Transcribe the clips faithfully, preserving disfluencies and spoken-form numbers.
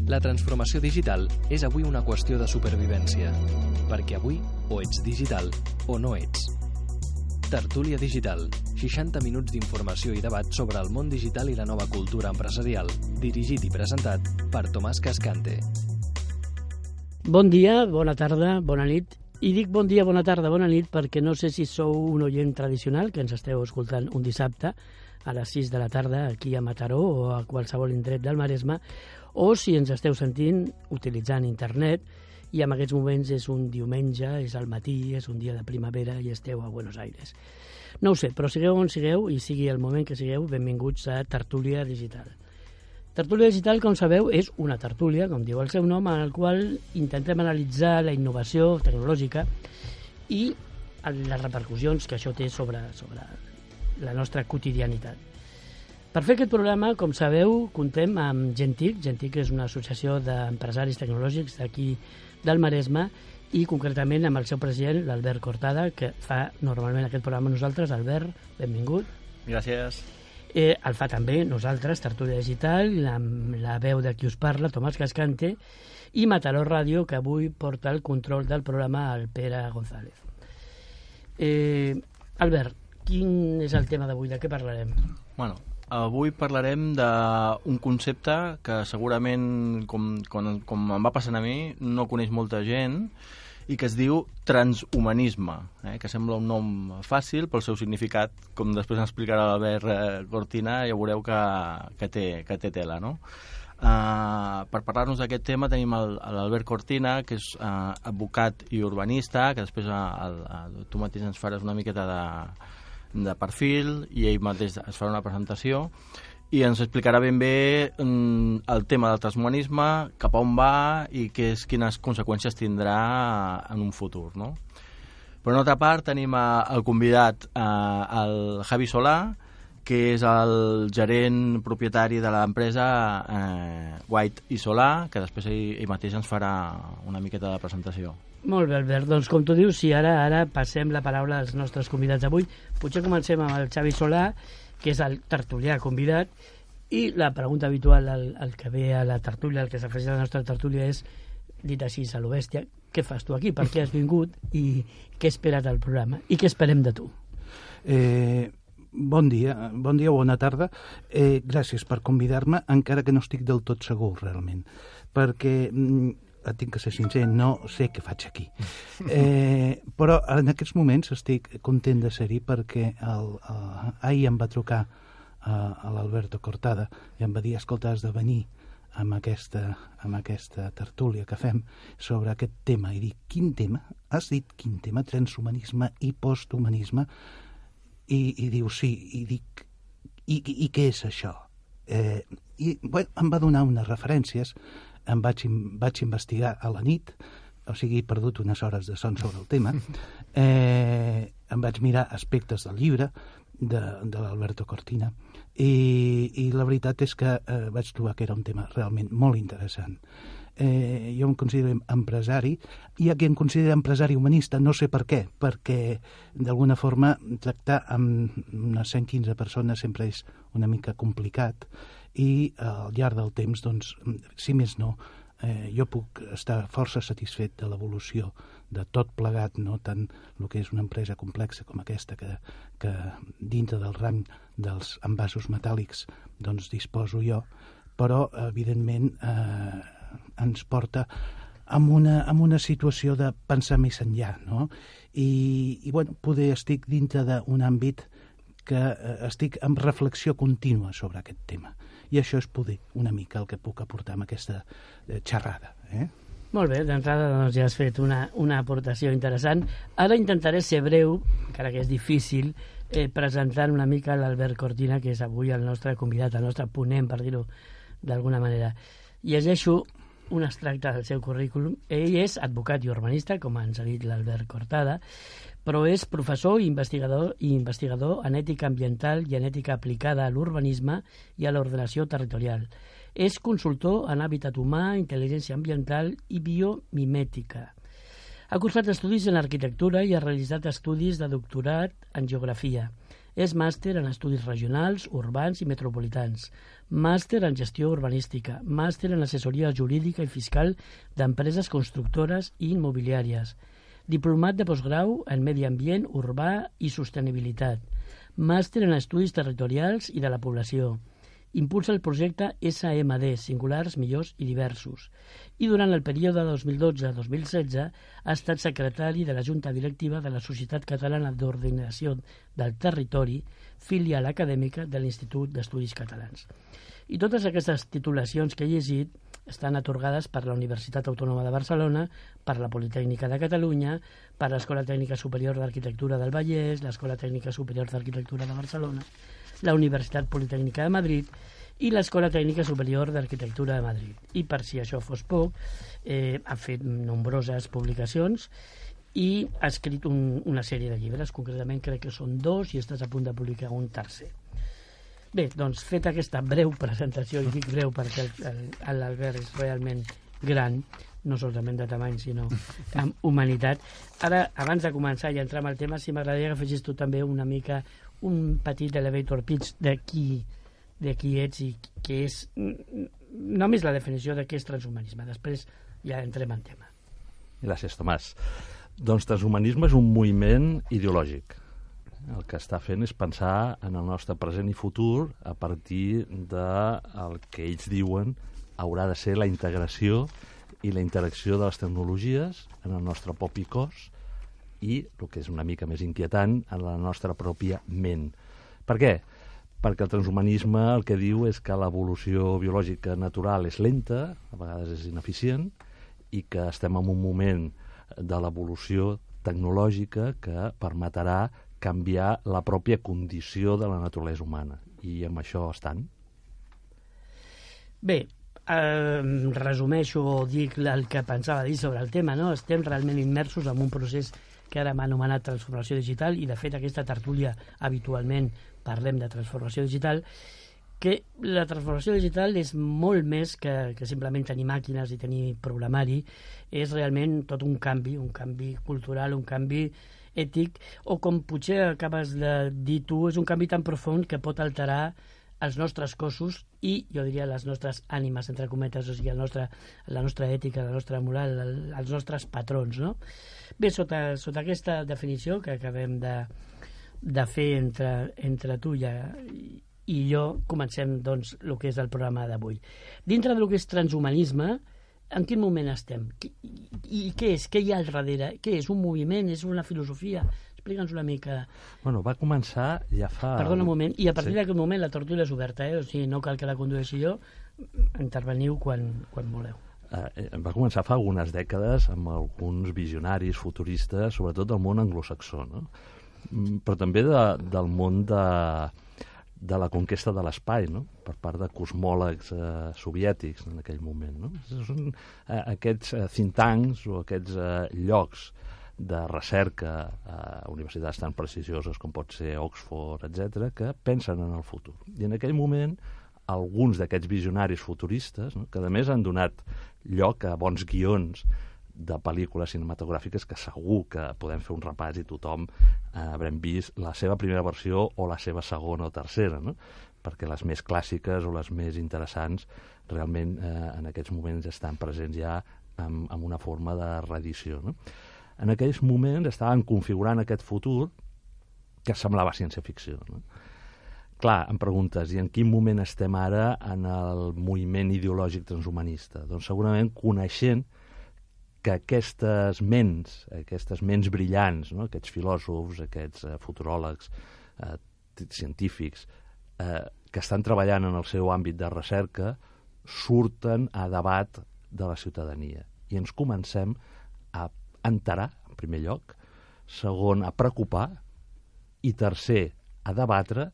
La transformació digital és avui una qüestió de supervivència, perquè avui o ets digital o no ets. Tertúlia Digital, seixanta minuts d'informació i debat sobre el món digital i la nova cultura empresarial, dirigit i presentat per Tomàs Cascante. Bon dia, bona tarda, bona nit. I dic bon dia, bona tarda, bona nit perquè no sé si sou un oient tradicional que ens esteu escoltant un dissabte a les sis de la tarda aquí a Mataró o a qualsevol indret del Maresme, o si ens esteu sentint utilitzant internet i en aquests moments és un diumenge, és al matí, és un dia de primavera i esteu a Buenos Aires. No ho sé, però sigueu on sigueu i sigui el moment que sigueu, benvinguts a Tertúlia Digital. Tertúlia Digital, com sabeu, és una tertúlia, com diu el seu nom, en el qual intentem analitzar la innovació tecnològica i les repercussions que això té sobre, sobre la nostra quotidianitat. Per fer aquest programa, com sabeu, contem amb Gentic. Gentic és una associació d'empresaris tecnològics d'aquí del Maresme i concretament amb el seu president, l'Albert Cortada, que fa normalment aquest programa amb nosaltres. Albert, benvingut. Gràcies. Eh, el fa també nosaltres, Tertúlia Digital, la, la veu de qui us parla, Tomàs Cascante, i Mataró Ràdio, que avui porta el control del programa al Pere González. Eh, Albert, quin és el tema d'avui? De què parlarem? Bueno, avui parlarem d'un concepte que segurament, com, com, com em va passant a mi, no coneix molta gent, i que es diu transhumanisme, eh? Que sembla un nom fàcil, però el seu significat, com després ens explicarà l'Albert Cortina, ja veureu que, que, té, que té tela, no? Uh, per parlar-nos d'aquest tema tenim l'Albert Cortina, que és uh, advocat i urbanista, que després uh, el, uh, tu mateix ens faràs una miqueta de, de perfil i ell mateix es farà una presentació i ens explicarà ben bé mm, el tema del transhumanisme, cap a on va i que és, quines conseqüències tindrà en un futur, no? Per una altra part tenim a, el convidat, eh, el Javi Solà, que és el gerent propietari de l'empresa eh, White i Solà, que després ell, ell mateix ens farà una miqueta de presentació. Molt bé, Albert. Doncs com tu dius, si ara ara passem la paraula als nostres convidats d'avui, potser comencem amb el Xavi Solà, que és el tertulià convidat, i la pregunta habitual al, al que ve a la tertúlia, al que s'afegeix a la nostra tertúlia és, dit així a lo bèstia, què fas tu aquí? Per què has vingut? I què espera't al programa? I què esperem de tu? Eh, bon dia, bon dia o bona tarda. Eh, gràcies per convidar-me, encara que no estic del tot segur, realment, perquè mm, tinc que ser sincer, no sé què faig aquí. Eh, però en aquests moments estic content de ser-hi perquè el, el, ahir em va trucar a, a l'Alberto Cortada i em va dir, escolta, has de venir amb aquesta, amb aquesta tertúlia que fem sobre aquest tema. I dic, quin tema? Has dit quin tema? Transhumanisme i posthumanisme? I, i diu, sí. I dic, i, i, i què és això? Eh, I bueno, em va donar unes referències. Em vaig, vaig investigar a la nit, o sigui, he perdut unes hores de son sobre el tema, eh, em vaig mirar aspectes del llibre de, de l'Alberto Cortina i, i la veritat és que eh, vaig trobar que era un tema realment molt interessant. Eh, jo em considero empresari, hi ha qui em considera empresari humanista, no sé per què, perquè d'alguna forma tractar amb unes cent quinze persones sempre és una mica complicat i eh, al llarg del temps, doncs, si més no, eh, jo puc estar força satisfet de l'evolució de tot plegat, no tant el que és una empresa complexa com aquesta que, que dintre del rang dels envasos metàl·lics doncs disposo jo, però evidentment eh, ens porta amb una, amb una situació de pensar més enllà, no? I, i bueno, poder estic dintre d'un àmbit que eh, estic en reflexió contínua sobre aquest tema. I això és poder una mica el que puc aportar amb aquesta eh, xerrada. Eh? Molt bé, d'entrada doncs, ja has fet una, una aportació interessant. Ara intentaré ser breu, encara que és difícil, eh, presentant una mica l'Albert Cortina, que és avui el nostre convidat, el nostre ponent, per dir-ho d'alguna manera. Llegeixo un extracte del seu currículum. Ell és advocat i urbanista, com ens ha dit l'Albert Cortada, però és professor i investigador, i investigador en ètica ambiental i en ètica aplicada a l'urbanisme i a l'ordenació territorial. És consultor en hàbitat humà, intel·ligència ambiental i biomimètica. Ha cursat estudis en arquitectura i ha realitzat estudis de doctorat en geografia. És màster en estudis regionals, urbans i metropolitans, màster en gestió urbanística, màster en assessoria jurídica i fiscal d'empreses constructores i immobiliàries, diplomat de postgrau en medi ambient, urbà i sostenibilitat, màster en estudis territorials i de la població. Impulsa el projecte S M D, Singulars, Millors i Diversos, i durant el període dos mil dotze a dos mil setze ha estat secretari de la Junta Directiva de la Societat Catalana d'Ordenació del Territori, filial acadèmica de l'Institut d'Estudis Catalans. I totes aquestes titulacions que he llegit estan atorgades per la Universitat Autònoma de Barcelona, per la Politècnica de Catalunya, per l'Escola Tècnica Superior d'Arquitectura del Vallès, l'Escola Tècnica Superior d'Arquitectura de Barcelona, la Universitat Politècnica de Madrid i l'Escola Tècnica Superior d'Arquitectura de Madrid. I per si això fos poc, eh, ha fet nombroses publicacions i ha escrit un, una sèrie de llibres, concretament crec que són dos i estàs a punt de publicar un tercer. Bé, doncs, feta aquesta breu presentació, i dic breu perquè l'Albert és realment gran, no solament de tamany, sinó amb humanitat. Ara, abans de començar i entrar en el tema, si m'agradaria que afegis tu també una mica un petit elevator pitch de qui, de qui ets i què és, només la definició de què és transhumanisme. Després ja entrem en tema. Gràcies, Tomàs. Doncs transhumanisme és un moviment ideològic. El que està fent és pensar en el nostre present i futur a partir del que ells diuen haurà de ser la integració i la interacció de les tecnologies en el nostre propi cos i, el que és una mica més inquietant, en la nostra pròpia ment. Per què? Perquè el transhumanisme el que diu és que l'evolució biològica natural és lenta, a vegades és ineficient, i que estem en un moment de l'evolució tecnològica que permetrà canviar la pròpia condició de la naturalesa humana. I amb això estan. Bé, eh, resumeixo o dic el que pensava dir sobre el tema, no? Estem realment immersos en un procés que ara m'ha anomenat transformació digital, i de fet aquesta tertúlia habitualment parlem de transformació digital, que la transformació digital és molt més que, que simplement tenir màquines i tenir programari, és realment tot un canvi, un canvi cultural, un canvi ètic, o com potser acabes de dir tu, és un canvi tan profund que pot alterar els nostres cossos i, jo diria, les nostres ànimes, entre cometes, o sigui, el nostre, la nostra ètica, la nostra moral, el, els nostres patrons, no? Bé, sota, sota aquesta definició que acabem de, de fer entre, entre tu i, i jo, comencem, doncs, el que és el programa d'avui. Dintre del que és transhumanisme, en quin moment estem? I, i què és? Què hi ha al darrere? Què és? Un moviment? És una filosofia? Explica'ns una mica. Bueno, va començar ja fa... Perdona un moment, i a partir sí. d'aquest moment la tertúlia és oberta, eh? O sigui, no cal que la condueixi jo, interveniu quan, quan voleu. Eh, va començar fa algunes dècades amb alguns visionaris futuristes, sobretot del món anglosaxó, no? Però també de, del món de, de la conquesta de l'espai, no? Per part de cosmòlegs eh, soviètics en aquell moment, no? Són eh, aquests eh, think tanks o aquests eh, llocs de recerca a universitats tan prestigioses com pot ser Oxford, etcètera, que pensen en el futur. I en aquell moment, alguns d'aquests visionaris futuristes, no? Que a més han donat lloc a bons guions de pel·lícules cinematogràfiques que segur que podem fer un repàs i tothom eh, haurem vist la seva primera versió o la seva segona o tercera, no? Perquè les més clàssiques o les més interessants realment eh, en aquests moments estan presents ja amb, amb una forma de reedició, no? En aquells moments estaven configurant aquest futur que semblava ciència-ficció, no? Clar, em preguntes, i en quin moment estem ara en el moviment ideològic transhumanista? Doncs segurament coneixent que aquestes ments, aquestes ments brillants, no? Aquests filòsofs, aquests eh, futuròlegs, eh, científics, eh, que estan treballant en el seu àmbit de recerca, surten a debat de la ciutadania. I ens comencem a enterar, en primer lloc, segon, a preocupar, i tercer, a debatre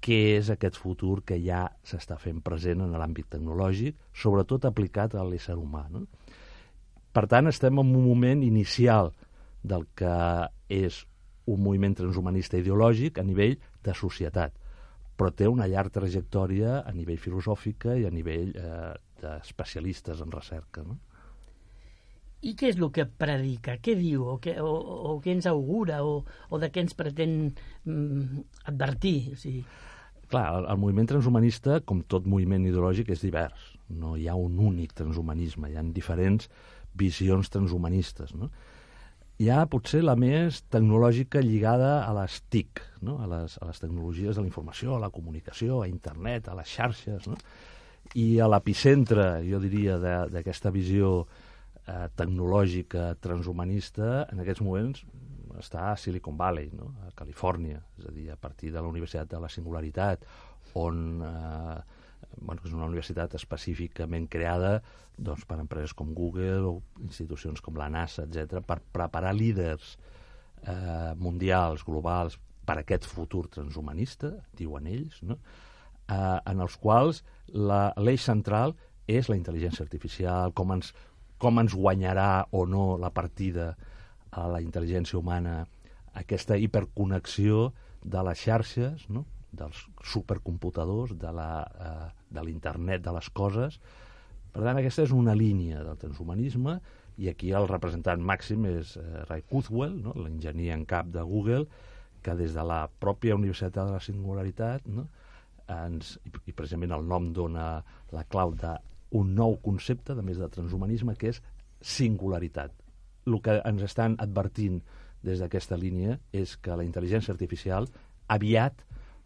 què és aquest futur que ja s'està fent present en l'àmbit tecnològic, sobretot aplicat a l'ésser humà, no? Per tant, estem en un moment inicial del que és un moviment transhumanista ideològic a nivell de societat, però té una llarga trajectòria a nivell filosòfica i a nivell eh, d'especialistes en recerca, no? I què és el que predica? Què diu? O què, o, o què ens augura? O, o de què ens pretén mm, advertir? O sigui... Clar, el, el moviment transhumanista, com tot moviment ideològic, és divers. No hi ha un únic transhumanisme, hi ha diferents visions transhumanistes, no? Hi ha potser la més tecnològica lligada a les T I C, no? a, les, a les tecnologies de la informació, a la comunicació, a internet, a les xarxes, no? I a l'epicentre, jo diria, d'aquesta visió eh, tecnològica transhumanista, en aquests moments està a Silicon Valley, no? A Califòrnia, és a dir, a partir de la Universitat de la Singularitat, on eh, bueno, és una universitat específicament creada doncs, per empreses com Google o institucions com la NASA, etcètera, per preparar líders eh, mundials, globals, per aquest futur transhumanista, diuen ells, no? eh, en els quals l'eix central és la intel·ligència artificial, com ens, com ens guanyarà o no la partida a la intel·ligència humana, aquesta hiperconnexió de les xarxes, no? Dels supercomputadors, de l'internet de, de les coses. Per tant, aquesta és una línia del transhumanisme, i aquí el representant màxim és eh, Ray Kurzweil, no? L'enginyer en cap de Google, que des de la pròpia Universitat de la Singularitat, no? Ens, i, i precisament el nom dona la clau d'un nou concepte, de més de transhumanisme, que és singularitat. El que ens estan advertint des d'aquesta línia és que la intel·ligència artificial aviat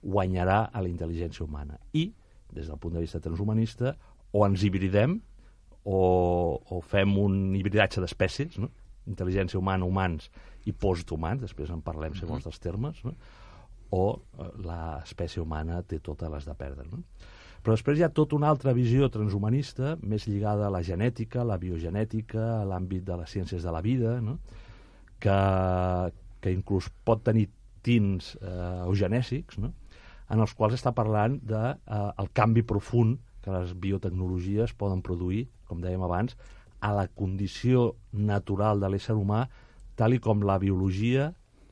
guanyarà a la intel·ligència humana. I, des del punt de vista transhumanista, o ens hibridem o, o fem un hibridatge d'espècies, no? Intel·ligència humana, humans i posthumans, després en parlem segons dels termes, no? O eh, l'espècie humana té totes les de perdre, no? Però després hi ha tota una altra visió transhumanista, més lligada a la genètica, a la biogenètica, a l'àmbit de les ciències de la vida, no? que, que inclús pot tenir tints eh, eugenèsics, no? En els quals està parlant del de, eh, canvi profund que les biotecnologies poden produir, com dèiem abans, a la condició natural de l'ésser humà, tal i com la biologia,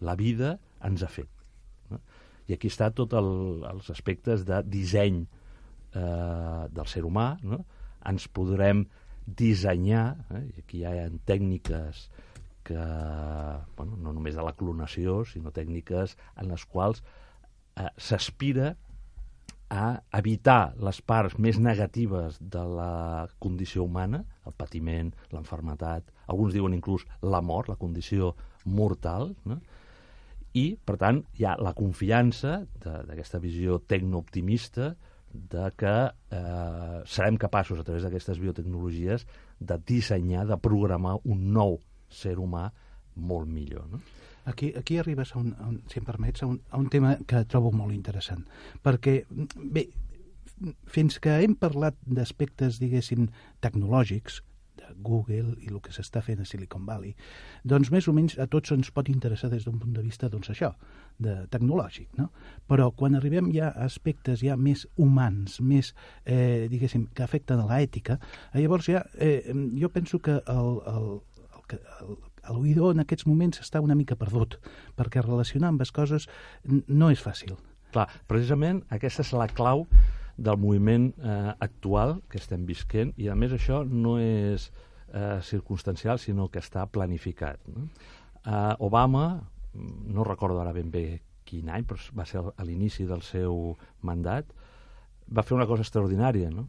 la vida, ens ha fet. No? I aquí està tots el, els aspectes de disseny eh, del ser humà, no? Ens podrem dissenyar, eh? I aquí hi ha tècniques que, bueno, no només de la clonació, sinó tècniques en les quals eh, s'aspira a evitar les parts més negatives de la condició humana, el patiment, l'enfermetat, alguns diuen inclús la mort, la condició mortal, no? I, per tant, hi ha la confiança d'aquesta visió tecnooptimista de que eh, serem capaços, a través d'aquestes biotecnologies, de dissenyar, de programar un nou ser humà molt millor, no? Aquí, aquí arribes, a un, a un, si em permets, a un, a un tema que trobo molt interessant, perquè, bé, fins que hem parlat d'aspectes, diguéssim, tecnològics, de Google i el que s'està fent a Silicon Valley, doncs més o menys a tots ens pot interessar des d'un punt de vista, doncs això, de tecnològic, no? Però quan arribem ja a aspectes ja més humans, més, eh, diguéssim, que afecten a l'ètica, llavors ja, eh, jo penso que el, el, el, el l'oïdor en aquests moments està una mica perdut, perquè relacionar amb les coses no és fàcil. Clar, precisament aquesta és la clau del moviment eh, actual que estem visquent, i a més això no és eh, circumstancial, sinó que està planificat, no? Eh, Obama, no recordo ara ben bé quin any, però va ser a l'inici del seu mandat, va fer una cosa extraordinària, no?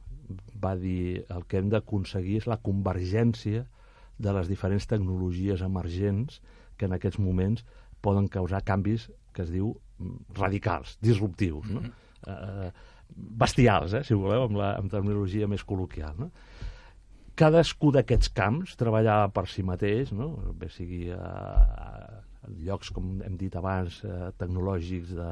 Va dir el que hem d'aconseguir és la convergència de les diferents tecnologies emergents que en aquests moments poden causar canvis que es diu radicals, disruptius, no? Mm-hmm. eh, bestials, eh, si voleu, amb la amb terminologia més col·loquial, no? Cadascú d'aquests camps treballava per si mateix, no? Bé sigui a, a llocs, com hem dit abans, eh, tecnològics de,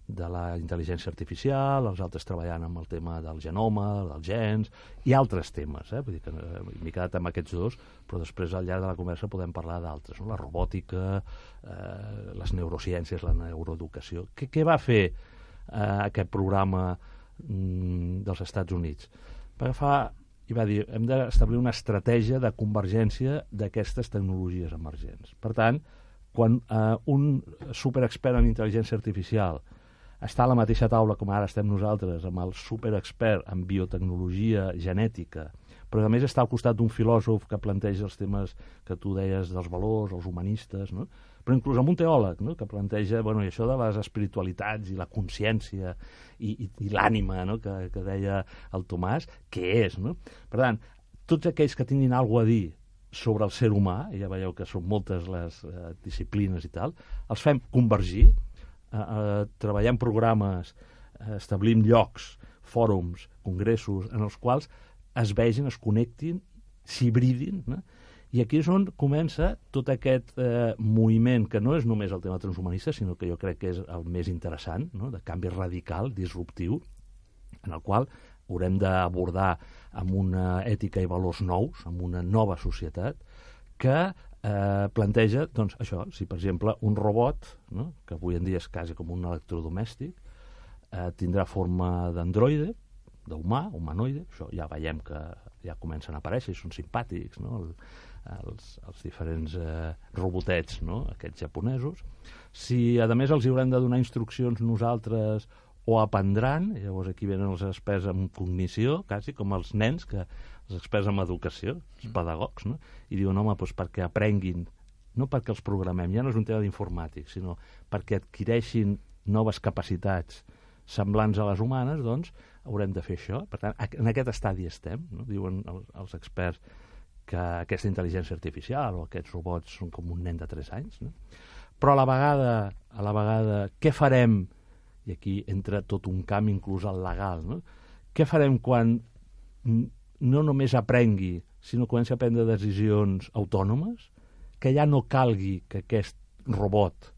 de la intel·ligència artificial, els altres treballant amb el tema del genoma, dels gens, i altres temes, eh? Vull dir que eh, m'he quedat amb aquests dos, però després al llarg de la conversa podem parlar d'altres, no? La robòtica, eh, les neurociències, la neuroeducació. Què, què va fer eh, aquest programa mm, dels Estats Units? Va agafar i va dir, hem d'establir una estratègia de convergència d'aquestes tecnologies emergents. Per tant, quan eh, un superexpert en intel·ligència artificial està a la mateixa taula com ara estem nosaltres, amb el superexpert en biotecnologia genètica, però a més està al costat d'un filòsof que planteja els temes que tu deies dels valors, els humanistes, no? Però inclús amb un teòleg, no? Que planteja, bueno, i això de les espiritualitats i la consciència i, i, i l'ànima, no? que, que deia el Tomàs, què és, no? Per tant, tots aquells que tinguin alguna a dir sobre el ser humà, i ja veieu que són moltes les eh, disciplines i tal, els fem convergir, eh, eh, treballar en programes, eh, establim llocs, fòrums, congressos, en els quals es vegin, es connectin, s'hibridin, no? I aquí és on comença tot aquest eh, moviment, que no és només el tema transhumanista, sinó que jo crec que és el més interessant, no? De canvi radical, disruptiu, en el qual haurem d'abordar amb una ètica i valors nous, amb una nova societat, que eh, planteja, doncs, això, si per exemple un robot, no? Que avui en dia és quasi com un electrodomèstic, eh, tindrà forma d'androide, d'humà, humanoide, això ja veiem que ja comencen a aparèixer i són simpàtics, no? El, els, els diferents eh, robotets, no? Aquests japonesos. Si, a més, els hi haurem de donar instruccions nosaltres o aprendran, llavors aquí venen els experts en cognició, quasi com els nens, que els experts en educació, els pedagogs, no? I diuen, home, doncs perquè aprenguin, no perquè els programem, ja no és un tema d'informàtic, sinó perquè adquireixin noves capacitats semblants a les humanes, doncs haurem de fer això. Per tant, en aquest estadi estem, no? Diuen els, els experts que aquesta intel·ligència artificial o aquests robots són com un nen de tres anys, no? Però a la vegada, a la vegada, què farem? I aquí entra tot un camp, inclús el legal, no? Què farem quan no només aprengui, sinó comenci a prendre decisions autònomes, que ja no calgui que aquest robot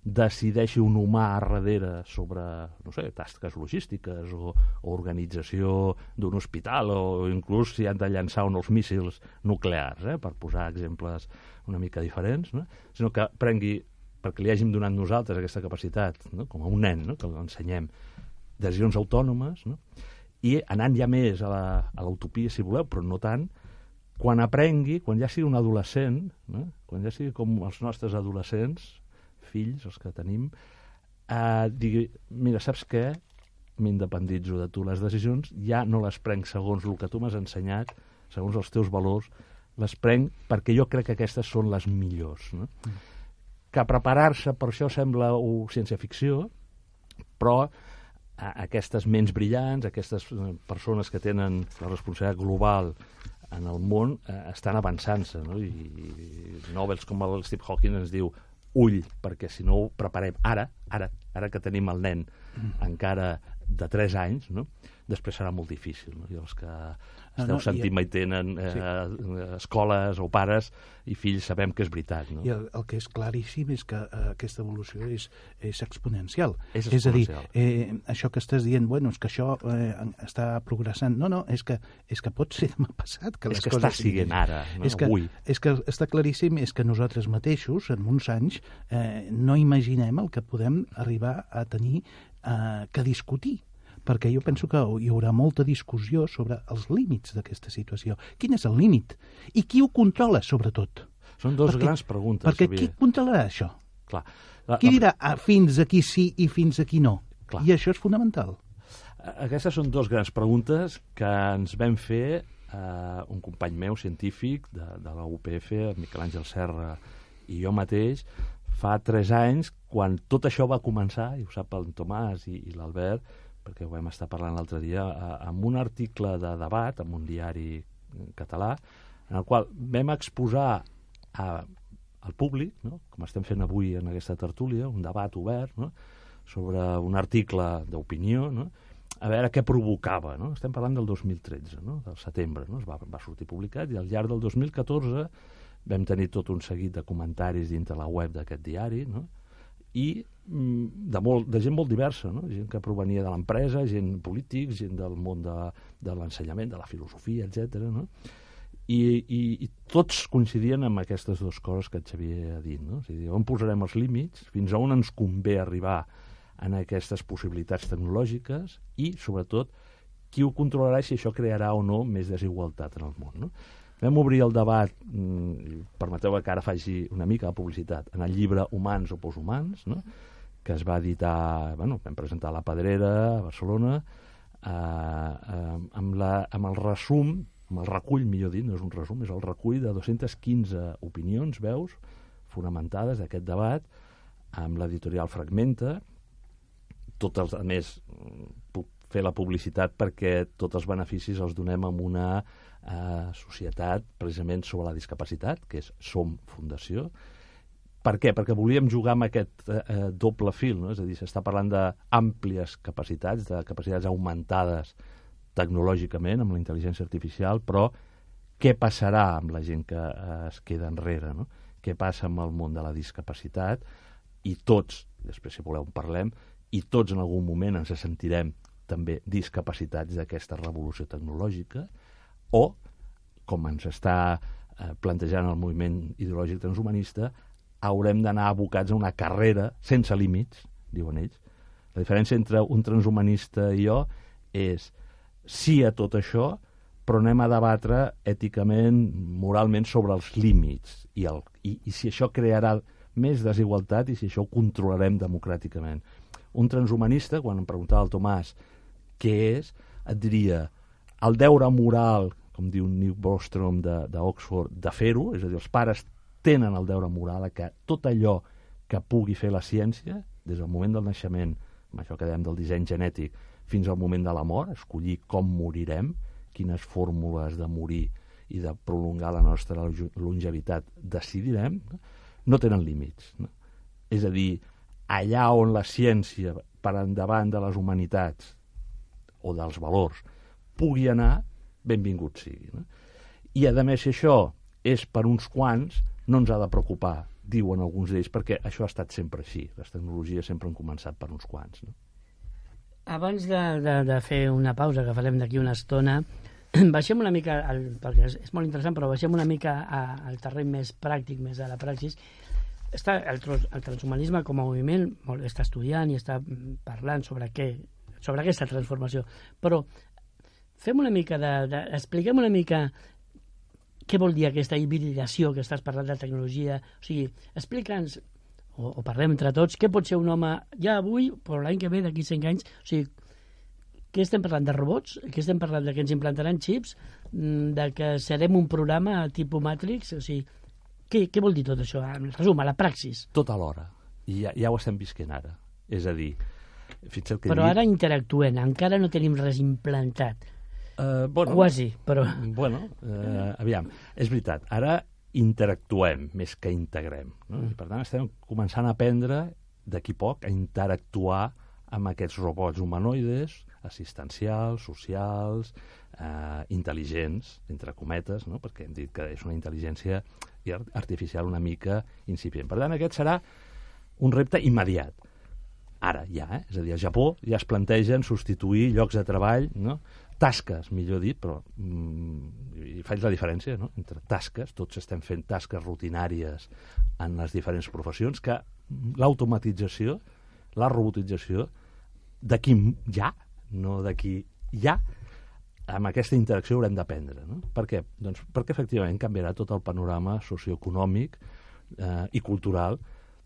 decideixi un humà a darrere sobre, no sé, tasques logístiques o, o organització d'un hospital o inclús si han de llançar uns míssils nuclears, eh, per posar exemples una mica diferents, no? Sinó que prengui, perquè li hàgim donat nosaltres aquesta capacitat, no? Com a un nen, no? Que l'ensenyem, decisions autònomes, no? I anant ja més a la, a l'utopia, si voleu, però no tant, quan aprengui, quan ja sigui un adolescent, no? Quan ja sigui com els nostres adolescents, fills, els que tenim, eh, digui, mira, saps què? M'independitzo de tu. Les decisions ja no les prenc segons el que tu m'has ensenyat, segons els teus valors, les prenc perquè jo crec que aquestes són les millors, no? Mm. Que preparar-se per això sembla uh, ciència-ficció, però uh, aquestes ments brillants, aquestes uh, persones que tenen la responsabilitat global en el món, uh, estan avançant-se, no? I, i Nobels com el Steve Hawking ens diu ull, perquè si no ho preparem ara, ara, ara que tenim el nen mm. encara de tres anys, no? Després serà molt difícil, no? I els que esteu no, no, sentint i... mai tenen eh, sí. escoles o pares i fills sabem que és veritat, no? I el, el que és claríssim és que eh, aquesta evolució és, és exponencial. És exponencial. És a dir, eh, això que estàs dient, bueno, és que això eh, està progressant. No, no, és que, és que pot ser demà passat que és les que coses... està siguent ara, no? És que, avui. És que està claríssim, és que nosaltres mateixos, en uns anys, eh, no imaginem el que podem arribar a tenir eh, que discutir, perquè jo penso que hi haurà molta discussió sobre els límits d'aquesta situació. Quin és el límit? I qui ho controla, sobretot? Són dues perquè, grans preguntes, perquè Xavier. Qui controlarà això? Clar. La, qui la... dirà ah, fins aquí sí i fins aquí no? Clar. I això és fonamental. Aquestes són dues grans preguntes que ens vam fer eh, un company meu, científic, de, de la U P F, Miquel Àngel Serra, i jo mateix, fa tres anys, quan tot això va començar, i ho sap el Tomàs i, i l'Albert, perquè ho vam estar parlant l'altre dia, amb un article de debat, en un diari català, en el qual vam exposar a, al públic, no? Com estem fent avui en aquesta tertúlia, un debat obert, no? Sobre un article d'opinió, no? A veure què provocava, no? Estem parlant del dos mil tretze, no? Del setembre, no? Es va, va sortir publicat, i al llarg del dos mil catorze vam tenir tot un seguit de comentaris dintre la web d'aquest diari, no? I de, molt, de gent molt diversa, no? Gent que provenia de l'empresa, gent polítics, gent del món de, de l'ensenyament, de la filosofia, etcètera, no? I, i, i tots coincidien amb aquestes dues coses que el Xavier ha dit, no? O sigui, on posarem els límits, fins a on ens convé arribar en aquestes possibilitats tecnològiques i, sobretot, qui ho controlarà i si això crearà o no més desigualtat en el món, no? Vam obrir el debat, permeteu que ara faci una mica de publicitat, en el llibre Humans o Poshumans, no? Que es va editar, bueno, vam presentar a la Pedrera, a Barcelona, eh, eh, amb, la, amb el resum amb el recull, millor dit, no és un resum, és el recull de dues-centes quinze opinions, veus, fonamentades d'aquest debat, amb l'editorial Fragmenta. Tots els, a més, puc fer la publicitat perquè tots els beneficis els donem en una eh, societat precisament sobre la discapacitat, que és Som Fundació. Per què? Perquè volíem jugar amb aquest eh, doble fil, no? És a dir, s'està parlant d'àmplies capacitats, de capacitats augmentades tecnològicament, amb la intel·ligència artificial, però què passarà amb la gent que eh, es queda enrere, no? Què passa amb el món de la discapacitat? I tots, després si voleu en parlem, i tots en algun moment ens sentirem també discapacitats d'aquesta revolució tecnològica, o, com ens està eh, plantejant el moviment ideològic transhumanista, haurem d'anar abocats a una carrera sense límits, diuen ells. La diferència entre un transhumanista i jo és sí a tot això, però anem a debatre èticament, moralment, sobre els límits, i, el, i, i si això crearà més desigualtat i si això ho controlarem democràticament. Un transhumanista, quan em preguntava el Tomàs què és, et diria el deure moral, com diu Neil Bostrom d'Oxford, de, de fer-ho, és a dir, els pares tenen el deure moral a que tot allò que pugui fer la ciència, des del moment del naixement, amb això que dèiem del disseny genètic, fins al moment de la mort, escollir com morirem, quines fórmules de morir i de prolongar la nostra longevitat decidirem, no tenen límits. No? És a dir, allà on la ciència, per endavant de les humanitats o dels valors, pugui anar, benvingut sigui. No? I, a més, si això és per uns quants, no ens ha de preocupar, diuen alguns d'ells, perquè això ha estat sempre així. Les tecnologies sempre han començat per uns quants. No? Abans de, de, de fer una pausa, que farem d'aquí una estona, baixem una mica, al, perquè és, és molt interessant, però baixem una mica a, al terreny més pràctic, més a la praxis. Està, el, el transhumanisme com a moviment molt, està estudiant i està parlant sobre què, sobre aquesta transformació, però fem una mica de, de, expliquem una mica què vol dir aquesta hibridació que estàs parlant de tecnologia. O sigui, explica'ns, o, o parlem entre tots, què pot ser un home ja avui, però l'any que ve, d'aquí cinc anys. O sigui, què estem parlant, de robots? Què estem parlant, de que ens implantaran xips? De que serem un programa tipus Matrix? O sigui, què, què vol dir tot això? En resum, a la praxis. Tot alhora. I ja, ja ho estem visquent ara. És a dir, fixa't que... Però dit... ara interactuem, encara no tenim res implantat. Uh, bueno, Quasi, però... Bueno, uh, aviam, és veritat, ara interactuem més que integrem. No? Mm. Per tant, estem començant a aprendre, d'aquí poc, a interactuar amb aquests robots humanoides, assistencials, socials, eh, intel·ligents, entre cometes, no? Perquè hem dit que és una intel·ligència artificial una mica incipient. Per tant, aquest serà un repte immediat. Ara, ja, eh? És a dir, al Japó ja es plantegen substituir llocs de treball, no? Tasques, millor dit, però mm, i faig la diferència, no? Entre tasques, tots estem fent tasques rutinàries en les diferents professions, que l'automatització, la robotització, d'aquí ja, no d'aquí ja, amb aquesta interacció haurem d'aprendre. No? Per què? Doncs perquè efectivament canviarà tot el panorama socioeconòmic eh, i cultural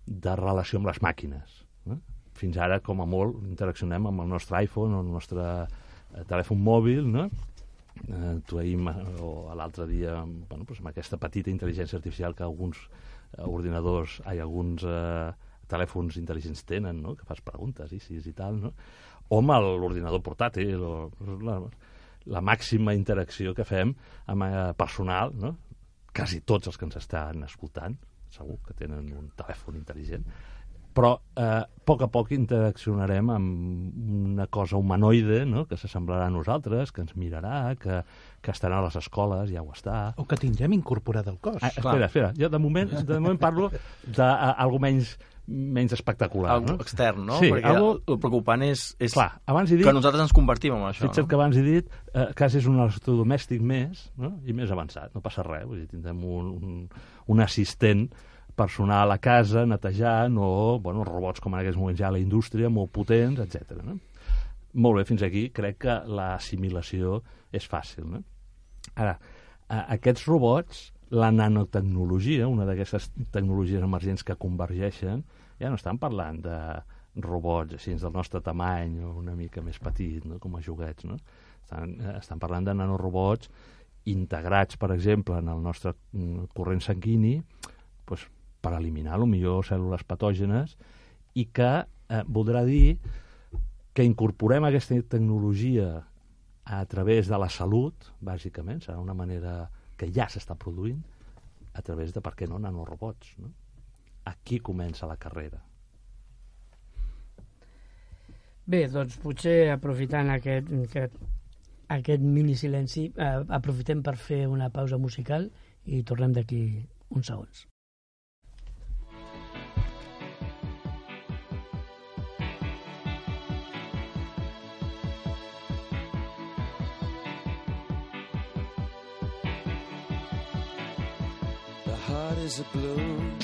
de relació amb les màquines. No? Fins ara, com a molt, interaccionem amb el nostre iPhone o el nostre eh, telèfon mòbil, no? Eh, tu ahir o l'altre dia, bueno, doncs amb aquesta petita intel·ligència artificial que alguns eh, ordinadors, ai, alguns eh, telèfons intel·ligents tenen, no? Que fas preguntes i sis i tal, no? O amb l'ordinador portàtil, o la, la màxima interacció que fem amb eh, personal, no? Quasi tots els que ens estan escoltant, segur que tenen un telèfon intel·ligent, però eh, a poc a poc interaccionarem amb una cosa humanoide, no? Que s'assemblarà a nosaltres, que ens mirarà, que, que estarà a les escoles, ja ho està. O que tindrem incorporat al cos. Ah, espera, espera, jo de moment, de moment parlo d'algú menys menys espectacular. Algo no? extern, no? Sí, perquè algo... el preocupant és, és Clar, abans he dit, que nosaltres ens convertim en això. Fixa't no? que abans he dit eh, quasi és un electrodomèstic més, no? I més avançat, no passa res, vull dir, tindrem un, un, un assistent personal a casa, netejant, o bueno, robots com en aquests moments ja a la indústria, molt potents, etcètera. No? Molt bé, fins aquí crec que l'assimilació és fàcil. No? Ara, a, aquests robots, la nanotecnologia, una d'aquestes tecnologies emergents que convergeixen, ja no estan parlant de robots així del nostre tamany o una mica més petit, no? Com a joguets, no? Estan, estan parlant de nanorobots integrats, per exemple, en el nostre corrent sanguini, doncs, per eliminar, potser, cèl·lules patògenes, i que eh, voldrà dir que incorporem aquesta tecnologia a través de la salut, bàsicament, serà una manera que ja s'està produint, a través de, per què no, nanorobots, no? Aquí comença la carrera. Bé, doncs potser aprofitant aquest, aquest, aquest mini silenci, eh, aprofitem per fer una pausa musical i tornem d'aquí uns segons. The heart is a balloon,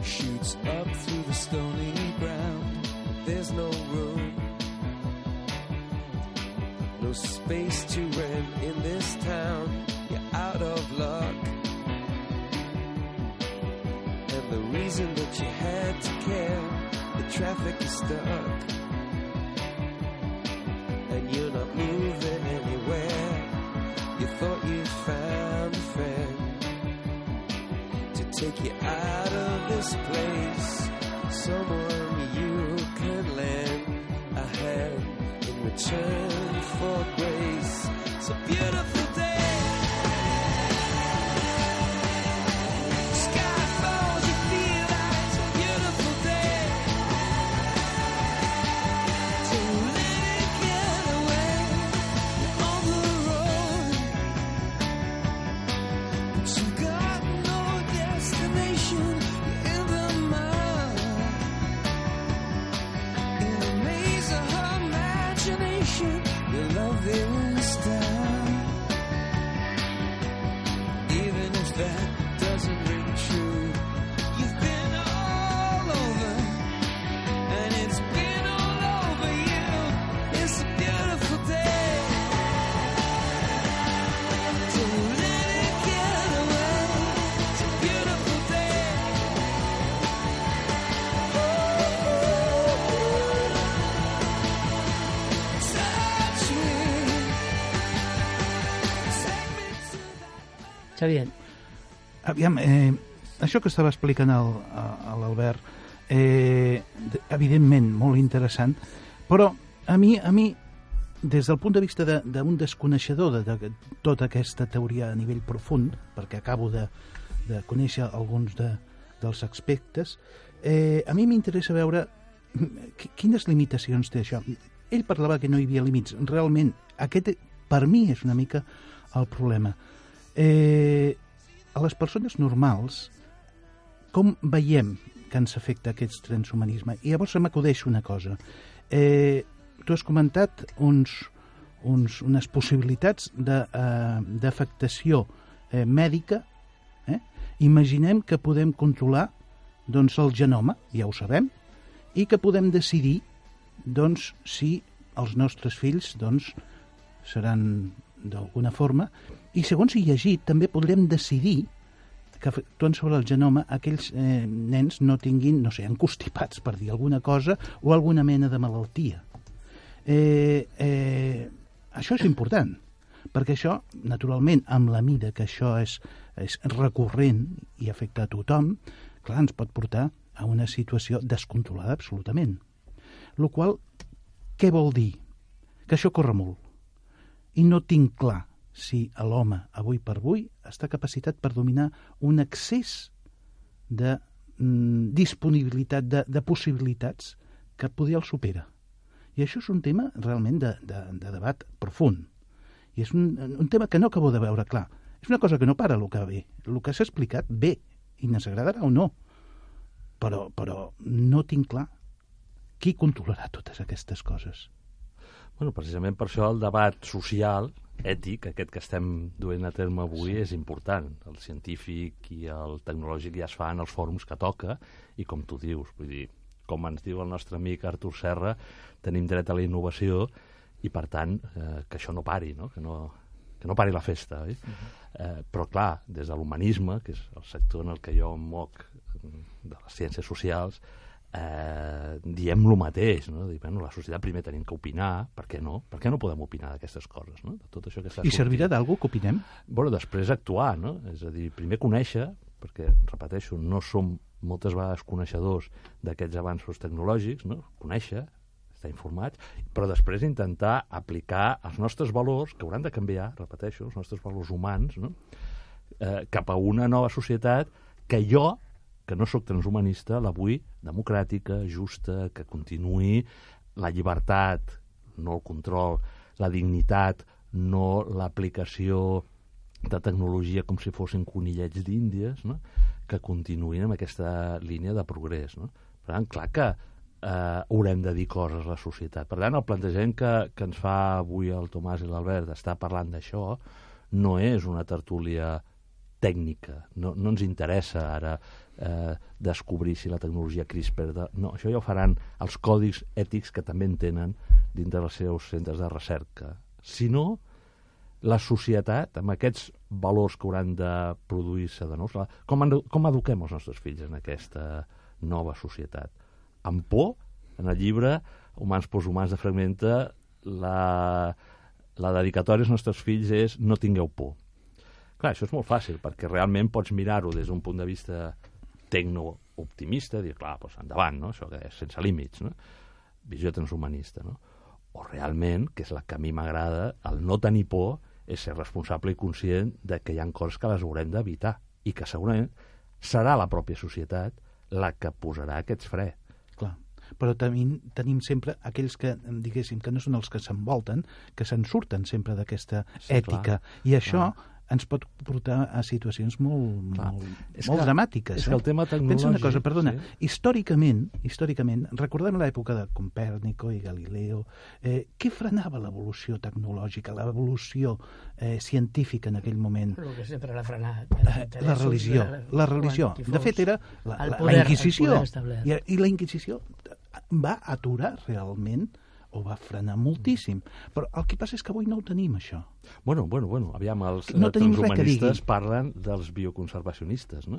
shoots up through the stony ground. There's no room, no space to rent in this town. You're out of luck, and the reason that you had to care, the traffic is stuck, and you're not moving anywhere. You thought you found a friend to take you out of this place, someone you can lend a hand in return for grace. It's a beautiful day. Sky falls, you feel like it's a beautiful day. So let it get away. You're on the road, but you got no destination. You're in the mud, in the maze of her imagination. Your love is down, even if that doesn't ring true. You've been all over, and it's been all over you. It's a beautiful day, so let it get away. It's a beautiful day. Touch me, take me to that. Xavier, Aviam, eh, això que estava explicant el, a- a l'Albert, eh, d- evidentment molt interessant, però a mi, a mi des del punt de vista de- d'un desconeixedor de, de tota aquesta teoria a nivell profund, perquè acabo de, de conèixer alguns de, dels aspectes, eh, a mi m'interessa veure qui- quines limitacions té això. Ell parlava que no hi havia límits. Realment, aquest per mi és una mica el problema. Eh, a les persones normals, com veiem que ens afecta aquest transhumanisme? I llavors se m'acudeix una cosa. Eh, tu has comentat uns, uns, unes possibilitats de, eh, d'afectació eh, mèdica. Eh? Imaginem que podem controlar doncs, el genoma, ja ho sabem, i que podem decidir doncs, si els nostres fills doncs, seran d'alguna forma, i segons he llegit també podrem decidir que actuant sobre el genoma aquells eh, nens no tinguin, no sé, encostipats, per dir alguna cosa, o alguna mena de malaltia. Eh, eh, això és important, perquè això, naturalment, amb la mida que això és, és recurrent i afecta a tothom, clar, ens pot portar a una situació descontrolada absolutament. Lo qual, què vol dir? Que això corre molt. I no tinc clar si l'home, avui per avui, està capacitat per dominar un excés de mm, disponibilitat, de, de possibilitats que poder el supera. I això és un tema realment de, de, de debat profund. I és un, un tema que no acabo de veure clar. És una cosa que no para el que ve. El que s'ha explicat bé, i ens agradarà o no. Però, però no tinc clar qui controlarà totes aquestes coses. Bueno, precisament per això el debat social, ètic, aquest que estem duent a terme avui, és important. El científic i el tecnològic ja es fa en els fòrums que toca, i com tu dius, vull dir, com ens diu el nostre amic Artur Serra, tenim dret a la innovació i, per tant, eh, que això no pari, no? Que no, que no pari la festa. Oi? Uh-huh. eh, però, clar, des de l'humanisme, que és el sector en el que jo em moc, de les ciències socials, eh, diem el mateix, no? Dir, bueno, la societat primer tenim que opinar, per què no? Per què no podem opinar d'aquestes coses, no? De tot això que està I servirà d'algú que opinem? Bueno, després actuar, no? És a dir, primer conèixer, perquè, repeteixo, no som moltes vegades coneixedors d'aquests avanços tecnològics, no? Conèixer, estar informats, però després intentar aplicar els nostres valors, que hauran de canviar, repeteixo, els nostres valors humans, no? eh, cap a una nova societat que jo, que no sóc transhumanista, la vull democràtica, justa, que continuï la llibertat, no el control, la dignitat, no l'aplicació de tecnologia com si fossin conillets d'Índies, no? Que continuïn amb aquesta línia de progrés, no? Per tant, clar que eh, haurem de dir coses a la societat. Per tant, el plantejament que, que ens fa avui el Tomàs i l'Albert d'estar parlant d'això no és una tertúlia tècnica. No, no ens interessa ara eh, descobrir si la tecnologia CRISPR... De... No, això ja ho faran els còdics ètics que també en tenen dintre dels seus centres de recerca. Si no, la societat, amb aquests valors que hauran de produir-se de nous, com, com eduquem els nostres fills en aquesta nova societat? Amb por, en el llibre Humans poshumans de Fragmenta, la, la dedicatòria als nostres fills és no tingueu por. Clar, això és molt fàcil, perquè realment pots mirar-ho des d'un punt de vista tecno-optimista, dir, clar, doncs endavant, no? Això que és sense límits, no? Visió transhumanista, no? O realment, que és la que a mi m'agrada, el no tenir por és ser responsable i conscient de que hi ha coses que les haurem d'evitar i que segurament serà la pròpia societat la que posarà aquests fre. Clar, però tenim, tenim sempre aquells que, diguéssim, que no són els que s'envolten, que se'n surten sempre d'aquesta sí, ètica. Clar, I això clar. Ens pot portar a situacions molt, molt, molt que, dramàtiques. És eh? que el tema tecnològic... Pensa una cosa, perdona, sí. històricament, històricament, recordem l'època de Copèrnico i Galileo, eh, què frenava l'evolució tecnològica, l'evolució eh, científica en aquell moment? El que sempre l'ha frenat. Eh, la religió, la, la religió. De fet, era la, la, poder, la Inquisició. I, I la Inquisició va aturar realment o va frenar moltíssim. Però el que passa és que avui no ho tenim, això. Bueno, bueno, bueno, aviam, els no transhumanistes parlen dels bioconservacionistes, no?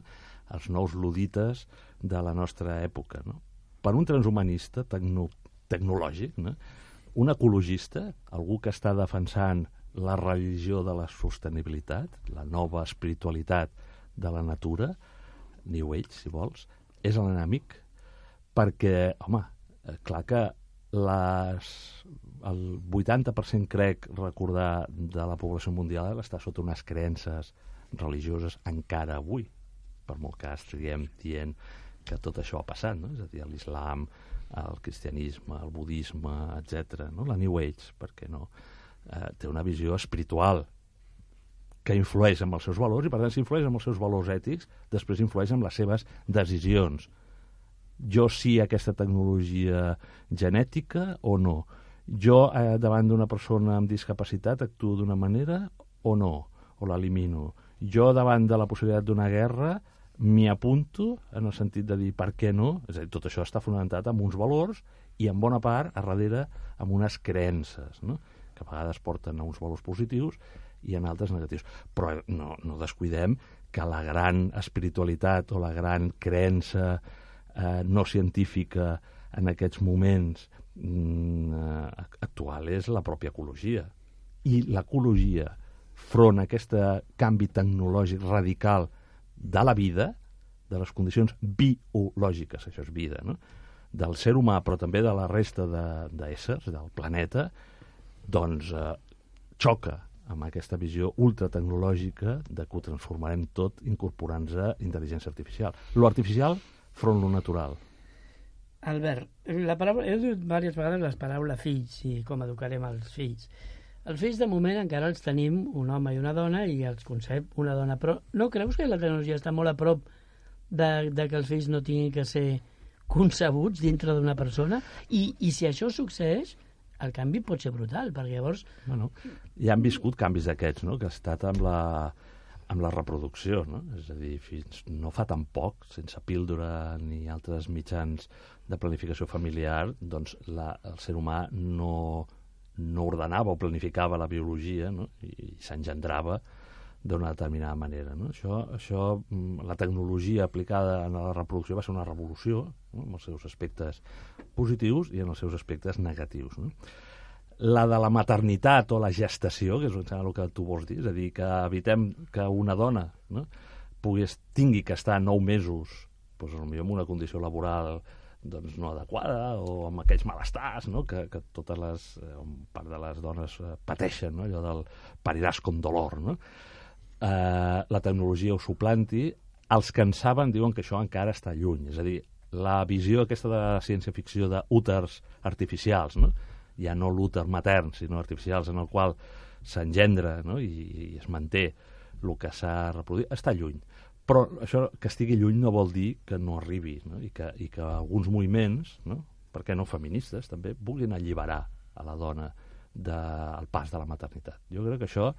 Els nous ludites de la nostra època, no? Per un transhumanista tecno tecnològic, no? Un ecologista, algú que està defensant la religió de la sostenibilitat, la nova espiritualitat de la natura, New Age, si vols, és l'enemic, perquè, home, clar que Les, el vuitanta per cent crec recordar de la població mundial està sota unes creences religioses encara avui, per molt que estiguem dient que tot això ha passat, no? És a dir, l'islam, el cristianisme, el budisme, etcètera, no? La New Age, perquè no, eh, té una visió espiritual que influeix amb els seus valors i per tant si influeix amb els seus valors ètics després influeix amb les seves decisions. Jo sí a aquesta tecnologia genètica o no? Jo eh, davant d'una persona amb discapacitat actuo d'una manera o no? O l'elimino? Jo davant de la possibilitat d'una guerra m'hi apunto en el sentit de dir per què no? És a dir, tot això està fonamentat en uns valors i en bona part a darrere amb unes creences, no? Que a vegades porten a uns valors positius i en altres negatius. Però no, no descuidem que la gran espiritualitat o la gran creença Eh, no científica en aquests moments mm, actual és la pròpia ecologia. I l'ecologia, front a aquest canvi tecnològic radical de la vida, de les condicions biològiques, això és vida, no? Del ser humà, però també de la resta d'éssers, de, del planeta, doncs eh, xoca amb aquesta visió ultratecnològica de que ho transformarem tot incorporant-se intel·ligència artificial. Lo artificial front lo natural. Albert, la paraula, heu dit diverses vegades les paraules fills i com educarem els fills. Els fills de moment encara els tenim un home i una dona i els concep una dona, però no creus que la tecnologia està molt a prop de, de que els fills no tinguin que ser concebuts dintre d'una persona? I, i si això succeeix, el canvi pot ser brutal, perquè llavors... Bueno, ja han viscut canvis d'aquests, no?, que ha estat amb la... amb la reproducció, no? És a dir, fins no fa tan poc, sense píldora ni altres mitjans de planificació familiar, doncs la, el ser humà no, no ordenava o planificava la biologia, no? I, i s'engendrava d'una determinada manera. No? Això, això, la tecnologia aplicada a la reproducció va ser una revolució, no? amb els seus aspectes positius i en els seus aspectes negatius. No? La de la maternitat o la gestació, que és el que tu vols dir, és a dir, que evitem que una dona, no? pugui, tingui que estar nou mesos doncs, potser en una condició laboral doncs, no adequada o amb aquells malestars, no? que, que totes les, eh, part de les dones eh, pateixen, no? allò del pariràs con dolor. No? Eh, la tecnologia ho suplanti. Els que en saben diuen que això encara està lluny. És a dir, la visió aquesta de la ciència-ficció d'úters artificials, no? ja no l'úter matern, sinó artificials, en el qual s'engendra, no? I, i es manté el que s'ha reproduït, està lluny. Però això que estigui lluny no vol dir que no arribi, no? I, que, i que alguns moviments, no? per què no feministes, també vulguin alliberar a la dona del pas de la maternitat. Jo crec que això...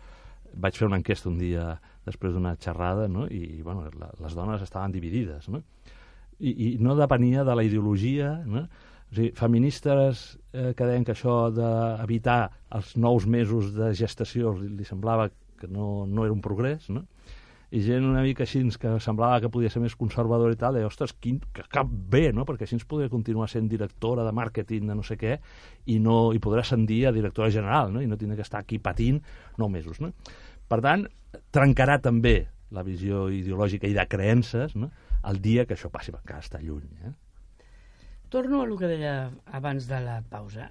Vaig fer una enquesta un dia després d'una xerrada, no? I bueno, la, les dones estaven dividides. No? I, I no depenia de la ideologia, no? O sigui, feministes eh, que deien que això d'evitar els nous mesos de gestació li, li semblava que no, no era un progrés, no? I gent una mica així que semblava que podia ser més conservadora i tal, deia, ostres, quin, que cap bé, no? Perquè així ens podria continuar sent directora de màrqueting de no sé què i, no, i podrà ascendir a directora general, no? I no tindrà que estar aquí patint nou mesos, no? Per tant, trencarà també la visió ideològica i de creences, no? El dia que això passi, perquè encara està lluny. Eh? Torno a el que deia abans de la pausa.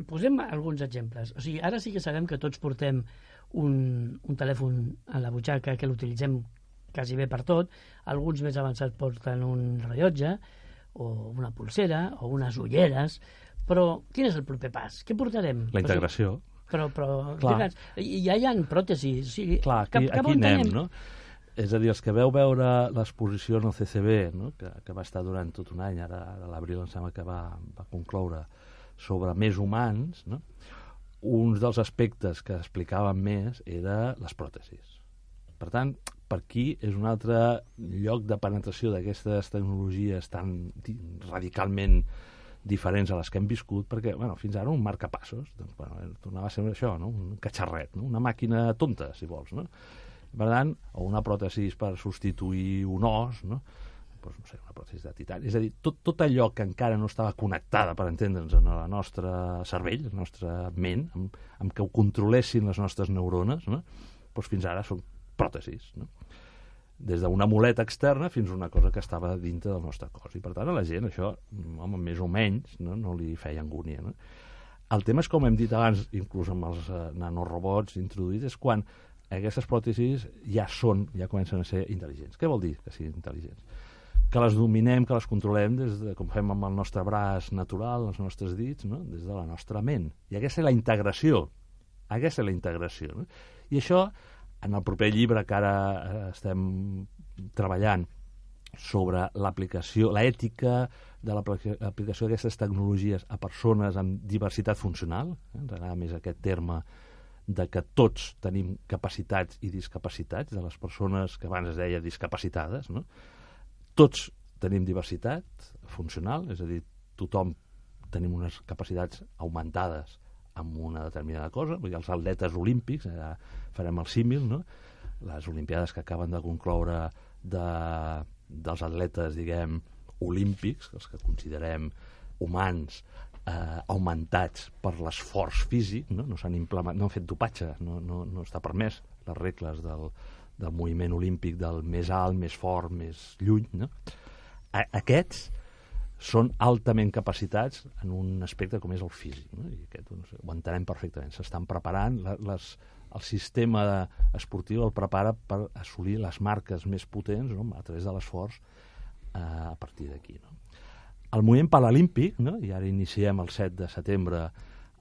Posem alguns exemples. O sigui, ara sí que sabem que tots portem un, un telèfon a la butxaca, que l'utilitzem quasi bé per tot. Alguns més avançats porten un rellotge, o una pulsera, o unes ulleres. Però quin és el proper pas? Què portarem? La integració. O sigui, però, però digues, ja hi ha pròtesis. O sigui, clar, aquí, cap, cap aquí anem, anem, no? És a dir, els que veu veure l'exposició en el C C B, no? que, que va estar durant tot un any, ara a l'abril em sembla que va, va concloure, sobre més humans, no? Un dels aspectes que explicaven més era les pròtesis. Per tant, per aquí és un altre lloc de penetració d'aquestes tecnologies tan radicalment diferents a les que hem viscut, perquè bueno, fins ara un marcapassos, doncs, bueno, tornava a ser això, no? Un catxarret, no? Una màquina tonta, si vols. No? Per tant, o una pròtesi per substituir un os, no? Pues, no sé, una pròtesi de titani. És a dir, tot, tot allò que encara no estava connectada, per entendre'ns, en el nostre cervell, la nostra ment, amb, amb que ho controlessin les nostres neurones, no? Pues fins ara són pròtesis, no? Des d'una muleta externa fins a una cosa que estava dintre del nostre cos. I per tant a la gent això, home, més o menys, no, no li feia angúnia. No? El tema és, com hem dit abans, inclús amb els uh, nanorobots introduïts, és quan aquestes pròtesis ja són, ja comencen a ser intel·ligents. Què vol dir que siguin intel·ligents? Que les dominem, que les controlem des de, com fem amb el nostre braç natural, els nostres dits, no? Des de la nostra ment. I aquesta és la integració. Aquesta és la integració. No? I això, en el proper llibre que ara estem treballant sobre l'aplicació, l'ètica de l'aplicació d'aquestes tecnologies a persones amb diversitat funcional, eh? ens agrada més aquest terme de que tots tenim capacitats i discapacitats, de les persones que abans es deia discapacitades, no? Tots tenim diversitat funcional, és a dir, tothom tenim unes capacitats augmentades amb una determinada cosa. Vull dir, els atletes olímpics, ara farem el símil, no? Les olimpiades que acaben de concloure de, dels atletes, diguem, olímpics, els que considerem humans, eh, augmentats per l'esforç físic, no? No s'han implementat, no han fet dopatge, no, no, no està permès les regles del, del moviment olímpic del més alt, més fort, més lluny, no? A, aquests són altament capacitats en un aspecte com és el físic, no? I aquest doncs, ho entenem perfectament. S'estan preparant, les, el sistema esportiu el prepara per assolir les marques més potents, no? A través de l'esforç eh, a partir d'aquí. No? El moviment paralímpic, no? I ara iniciem el set de setembre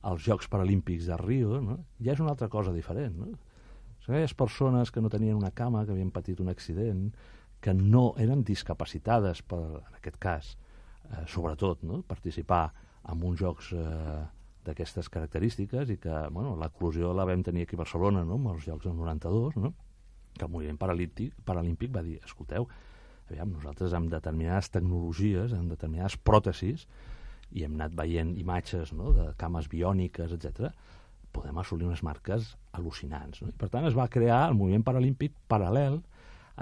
els Jocs Paralímpics de Rio, no? Ja és una altra cosa diferent. No? Són aquelles persones que no tenien una cama, que havien patit un accident, que no eren discapacitades, per, en aquest cas, Eh, sobretot, no? Participar en uns jocs eh, d'aquestes característiques i que, bueno, l'eclosió la vam tenir aquí a Barcelona, no? Amb els jocs del noranta-dos, no? Que el moviment paralímpic, paralímpic va dir, escolteu, aviam, nosaltres amb determinades tecnologies, amb determinades pròtesis, i hem anat veient imatges, no? De cames biòniques, etcètera, podem assolir unes marques al·lucinants. No? I per tant, es va crear el moviment paralímpic paral·lel,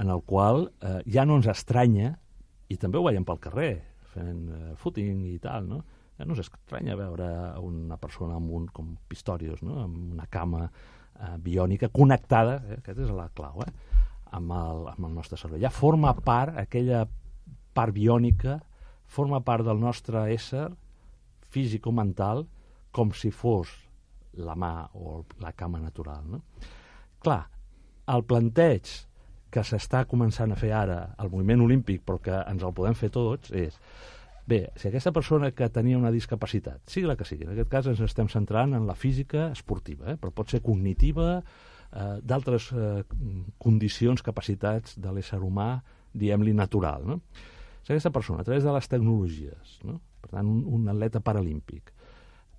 en el qual eh, ja no ens estranya, i també ho veiem pel carrer, fent eh, footing i tal, no? Ja no ens estranya veure una persona amb un, com Pistorius, no? Amb una cama eh, biònica connectada, eh? Aquesta és la clau, eh? amb, el, amb el nostre cervell. Ja forma part, aquella part biònica, forma part del nostre ésser físico-mental, com si fos la mà o la cama natural. No? Clar, el planteig que s'està començant a fer ara al moviment olímpic, però que ens el podem fer tots, és, bé, si aquesta persona que tenia una discapacitat, sigui la que sigui, en aquest cas ens estem centrant en la física esportiva, eh, però pot ser cognitiva, eh, d'altres eh, condicions, capacitats de l'ésser humà, diguem-li natural, no? Si aquesta persona, a través de les tecnologies, no? Per tant, un, un atleta paralímpic,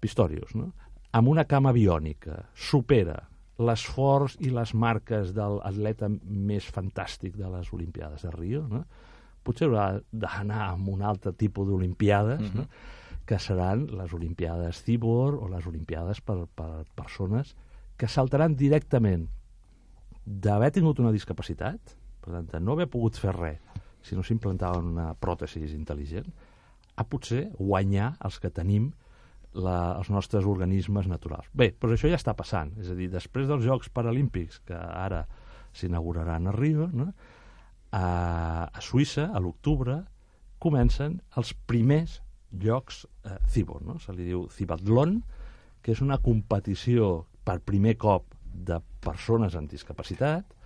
Pistorius, no? Amb una cama biònica, supera l'esforç i les marques de l'atleta més fantàstic de les Olimpiades de Rio, no? Potser haurà d'anar amb un altre tipus d'Olimpiades, mm-hmm. no? Que seran les Olimpiades Cibor o les Olimpiades per, per persones que saltaran directament d'haver tingut una discapacitat, per tant, de no haver pogut fer res, si no s'implantaven una pròtesi intel·ligent, a potser guanyar els que tenim la, els nostres organismes naturals. Bé, però això ja està passant. És a dir, després dels Jocs Paralímpics, que ara s'inauguraran a Rio, no? a, a Suïssa, a l'octubre, comencen els primers Jocs eh, Cibor, no? Se li diu Cibathlon, que és una competició per primer cop de persones amb discapacitat,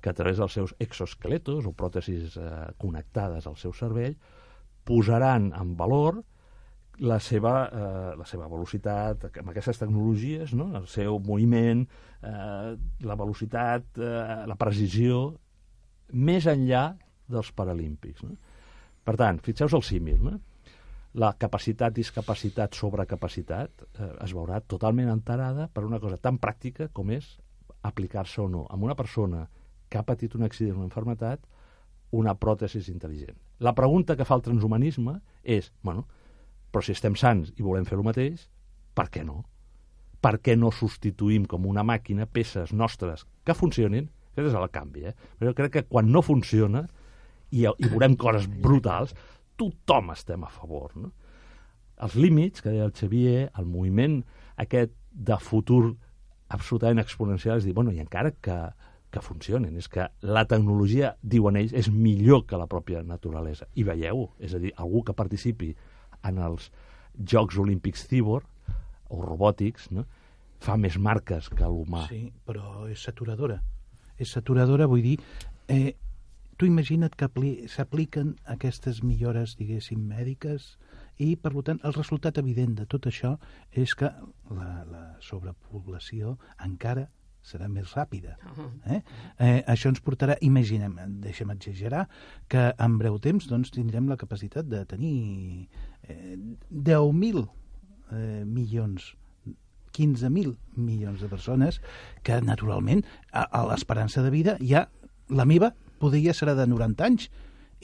que a través dels seus exoesqueletos o pròtesis eh, connectades al seu cervell posaran en valor la seva, eh, la seva velocitat amb aquestes tecnologies, no? El seu moviment, eh, la velocitat, eh, la precisió, més enllà dels paralímpics. No? Per tant, fixeu-vos el símil, no? La capacitat, discapacitat, sobrecapacitat eh, es veurà totalment enterada per una cosa tan pràctica com és aplicar-se o no amb una persona que ha patit un accident o una malaltia, una pròtesi intel·ligent. La pregunta que fa el transhumanisme és, bueno, però si estem sants i volem fer el mateix, per què no? Per què no substituïm com una màquina peces nostres que funcionin? Aquest és el canvi, eh? Però jo crec que quan no funciona i, i veurem coses brutals, tothom estem a favor, no? Els límits, que deia el Xavier, el moviment aquest de futur absolutament exponencial, és dir, bueno, i encara que que funcionen. És que la tecnologia, diuen ells, és millor que la pròpia naturalesa. I veieu, és a dir, algú que participi en els Jocs Olímpics Cibor o robòtics, no? Fa més marques que l'humà. Sí, però és saturadora. És saturadora, vull dir, eh, tu imagina't que s'apliquen aquestes millores, diguéssim, mèdiques, i, per tant, el resultat evident de tot això és que la, la sobrepoblació encara serà més ràpida. Eh? Eh, això ens portarà, imaginem, deixem exagerar, que en breu temps doncs, tindrem la capacitat de tenir eh, deu mil eh, milions, quinze mil milions de persones que, naturalment, a, a l'esperança de vida ja, la meva, podria serà de noranta anys,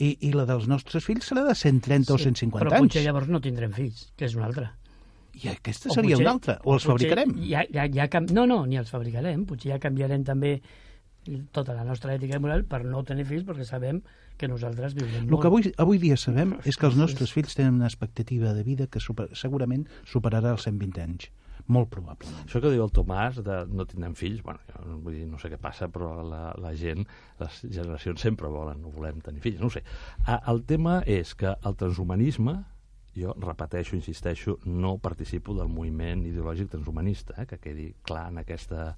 i, i la dels nostres fills serà de cent trenta sí, o cent cinquanta però anys. Però potser llavors no tindrem fills, que és una altra. I aquesta seria potser, una altra, o els fabricarem? Ja, ja, ja, no, no, ni els fabricarem, potser ja canviarem també tota la nostra ètica i moral per no tenir fills, perquè sabem que nosaltres viurem molt. El que avui, avui dia sabem és que els nostres fills tenen una expectativa de vida que super, segurament superarà els cent vint anys. Molt probablement. Això que diu el Tomàs, de no tindrem fills, bueno, jo vull dir, no sé què passa, però la, la gent, les generacions sempre volen, no volem tenir fills, no ho sé. El tema és que el transhumanisme, jo repeteixo, insisteixo, no participo del moviment ideològic transhumanista, eh, que quedi clar en aquesta,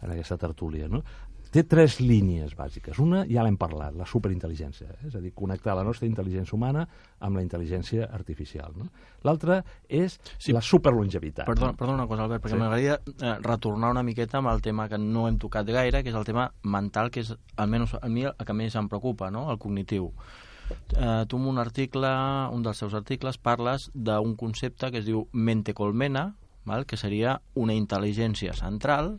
en aquesta tertúlia, no? Té tres línies bàsiques. Una, ja l'hem parlat, la superintel·ligència, eh? És a dir, connectar la nostra intel·ligència humana amb la intel·ligència artificial, no? L'altra és sí. la superlongevitat. Perdona, perdona una cosa, Albert, perquè sí. m'agradaria eh, retornar una miqueta amb el tema que no hem tocat gaire, que és el tema mental, que és almenys a mi el que més em preocupa, no? El cognitiu. Eh, tu en un article, un dels seus articles, parles d'un concepte que es diu mente colmena, val? Que seria una intel·ligència central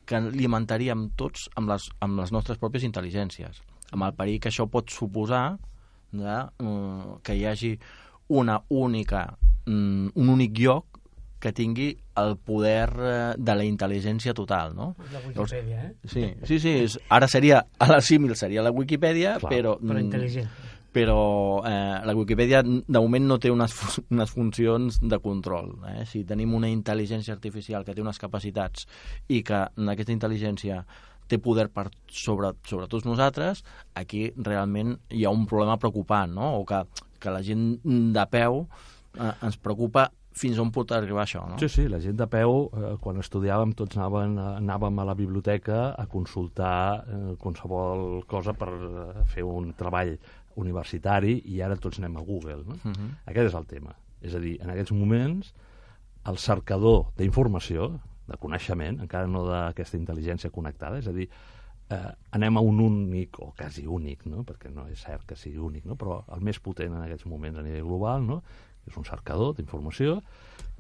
que alimentaríem tots amb les, amb les nostres pròpies intel·ligències, amb el perill que això pot suposar de, uh, que hi hagi una única, um, un únic lloc que tingui el poder eh, de la intel·ligència total, no? La Wikipedia, eh? Sí, sí, sí és, ara seria, a la símil seria la Wikipedia, Clar, però... Però intel·ligent. Però eh, la Wikipedia de moment no té unes, fu- unes funcions de control. Eh? Si tenim una intel·ligència artificial que té unes capacitats i que en aquesta intel·ligència té poder per sobre, sobre tots nosaltres, aquí realment hi ha un problema preocupant, no? O que, que la gent de peu eh, ens preocupa fins on pot arribar això, no? Sí, sí, la gent de peu, eh, quan estudiàvem, tots anàvem, anàvem a la biblioteca a consultar eh, qualsevol cosa per eh, fer un treball universitari i ara tots anem a Google, no? Uh -huh. Aquest és el tema. És a dir, en aquests moments, el cercador d'informació, de coneixement, encara no d'aquesta intel·ligència connectada, és a dir, eh, anem a un únic, o quasi únic, no? Perquè no és cert que sigui únic, no? Però el més potent en aquests moments a nivell global, no? És un cercador d'informació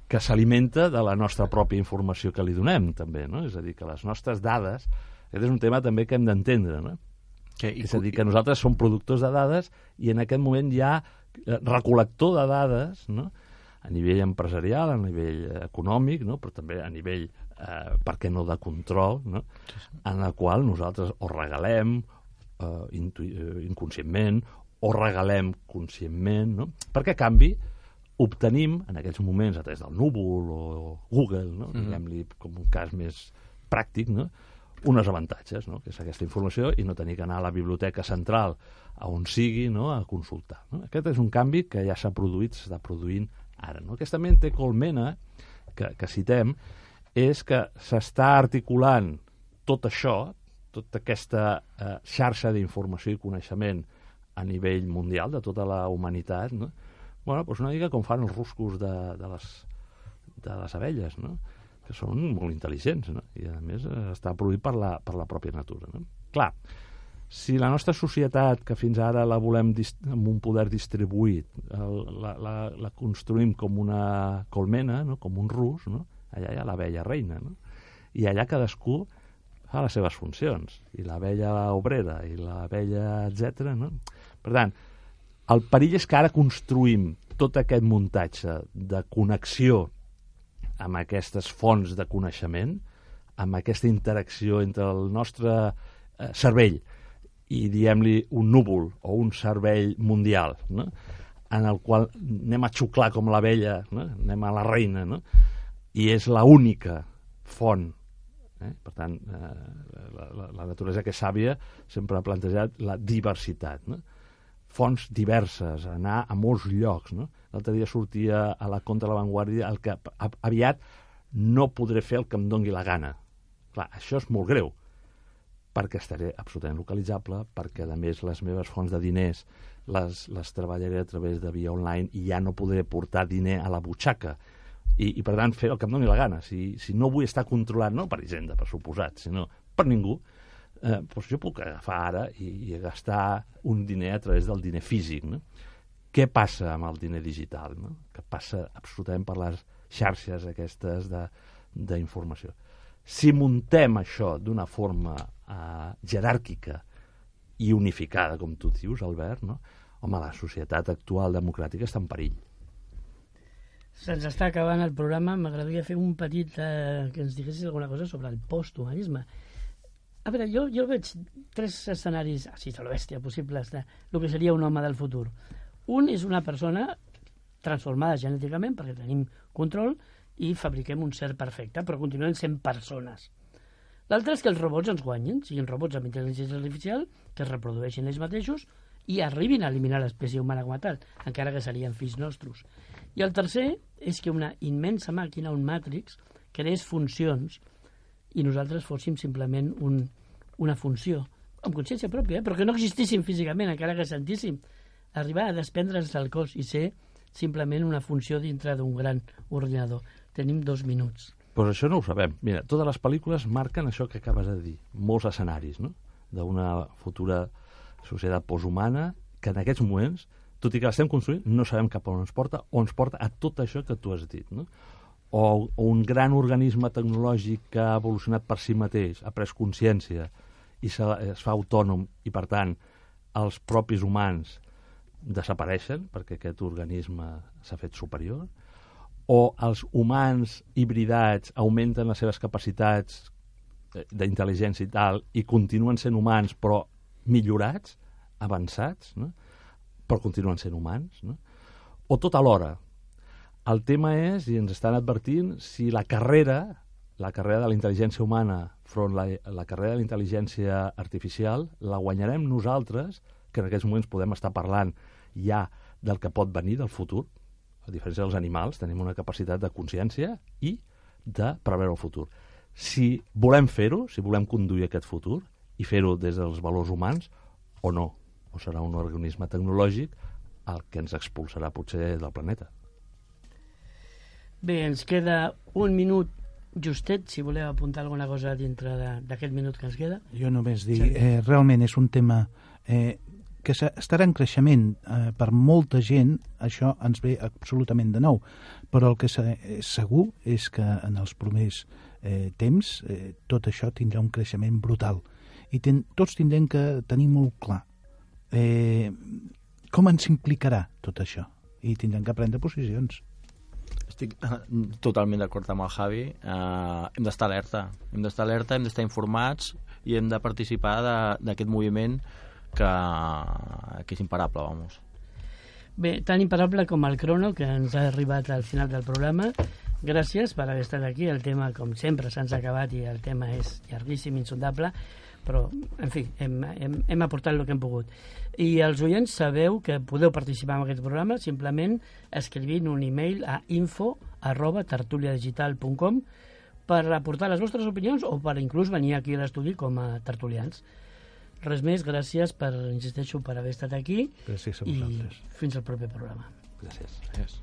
que s'alimenta de la nostra pròpia informació que li donem, també, no? És a dir, que les nostres dades, aquest és un tema també que hem d'entendre, no? Que, És a dir, que nosaltres som productors de dades i en aquest moment hi ha recol·lector de dades, no? A nivell empresarial, a nivell econòmic, no? Però també a nivell, eh, per què no, de control, no? En la qual nosaltres o regalem eh, intu inconscientment o regalem conscientment, no? Perquè a canvi obtenim, en aquests moments, a través del núvol o Google, no? Mm-hmm. Diguem-li com un cas més pràctic, no? Unes avantatges, no? Que és aquesta informació i no tenir que anar a la biblioteca central a on sigui, no? A consultar, no? Aquest és un canvi que ja s'ha produït, s'està produint ara, no? Aquesta mente colmena que, que citem és que s'està articulant tot això, tota aquesta eh, xarxa d'informació i coneixement a nivell mundial de tota la humanitat, no? Bueno, doncs una mica com fan els ruscos de, de, les, de les abelles, no? Que són molt intel·ligents, no? I a més està produït per la, per la pròpia natura, no? Clar, si la nostra societat, que fins ara la volem amb un poder distribuït, el, la, la, la construïm com una colmena, no? Com un rus, no? Allà hi ha l'abella reina, no? I allà cadascú fa les seves funcions, i l'abella obrera, i l'abella, etcètera, no? Per tant, el perill és que ara construïm tot aquest muntatge de connexió amb aquestes fonts de coneixement, amb aquesta interacció entre el nostre eh, cervell i, diguem-li, un núvol o un cervell mundial, no? En el qual anem a xuclar com l'abella, no? Anem a la reina, no? I és l'única font. Eh? Per tant, eh, la, la, la naturalesa que és sàvia sempre ha plantejat la diversitat, no? Fonts diverses, anar a molts llocs, no? L'altre dia sortia a la Contra de la Vanguardia el que aviat no podré fer el que em dongui la gana. Clar, això és molt greu, perquè estaré absolutament localitzable, perquè, a més, les meves fonts de diners les, les treballaré a través de via online i ja no podré portar diner a la butxaca. I, i per tant, fer el que em doni la gana. Si, si no vull estar controlat, no per Hisenda, per suposat, sinó per ningú, eh, doncs jo puc agafar ara i, i gastar un diner a través del diner físic, no? Què passa amb el diner digital, no? Que passa absolutament per les xarxes aquestes d'informació. Si muntem això d'una forma eh, jeràrquica i unificada, com tu dius, Albert, no? Home, la societat actual democràtica està en perill. Se'ns està acabant el programa. M'agradaria fer un petit... Eh, que ens diguessis alguna cosa sobre el posthumanisme. A veure, jo, jo veig tres escenaris, així a la bèstia, possibles de el que seria un home del futur. Un és una persona transformada genèticament, perquè tenim control, i fabriquem un ser perfecte, però continuem sent persones. L'altre és que els robots ens guanyin, siguin robots amb intel·ligència artificial, que es reprodueixin ells mateixos i arribin a eliminar l'espècie humana com a tal, encara que serien fills nostres. I el tercer és que una immensa màquina, un Matrix, creés funcions i nosaltres fóssim simplement un, una funció, amb consciència pròpia, eh? Però que no existíssim físicament, encara que sentíssim, arribar a desprendre'ns del cos i ser simplement una funció dintre d'un gran ordinador. Tenim dos minuts. Pues això no ho sabem. Mira, totes les pel·lícules marquen això que acabes de dir, molts escenaris, no? D'una futura societat posthumana que en aquests moments, tot i que l'estem construint, no sabem cap on ens porta, o ens porta a tot això que tu has dit, no? O, o un gran organisme tecnològic que ha evolucionat per si mateix, ha pres consciència i se, es fa autònom i, per tant, els propis humans desapareixen perquè aquest organisme s'ha fet superior, o els humans hibridats augmenten les seves capacitats d'intel·ligència i tal, i continuen sent humans, però millorats, avançats, no? Però continuen sent humans, no? O tot alhora. El tema és, i ens estan advertint, si la carrera, la carrera de la intel·ligència humana front la, la carrera de la intel·ligència artificial, la guanyarem nosaltres, que en aquests moments podem estar parlant ja del que pot venir del futur. A diferència dels animals, tenim una capacitat de consciència i de preveure el futur. Si volem fer-ho, si volem conduir aquest futur i fer-ho des dels valors humans, o no, o serà un organisme tecnològic el que ens expulsarà potser del planeta. Bé, ens queda un minut justet, si voleu apuntar alguna cosa dintre d'aquest minut que ens queda. Jo només dir, eh, realment és un tema eh, que estarà en creixement eh, per molta gent, això ens ve absolutament de nou, però el que és segur és que en els primers eh, temps eh, tot això tindrà un creixement brutal i ten, tots tindrem que tenir molt clar eh, com ens implicarà tot això i tindrem que prendre posicions. Estic totalment d'acord amb el Javi. Uh, hem d'estar alerta. Hem d'estar alerta, hem d'estar informats i hem de participar d'aquest moviment que, que és imparable, vamos. Bé, tan imparable com el crono que ens ha arribat al final del programa. Gràcies per haver estat aquí. El tema, com sempre, se'ns ha acabat i el tema és llarguíssim, insondable, però, en fi, hem, hem, hem aportat el que hem pogut. I els oients sabeu que podeu participar en aquest programa simplement escrivint un e-mail a info arroba tertuliadigital punt com per aportar les vostres opinions o per inclús venir aquí a l'estudi com a tertulians. Res més, gràcies per, insisteixo, per haver estat aquí. Gràcies a vosaltres. vosaltres. I fins al proper programa. Gràcies. Gràcies.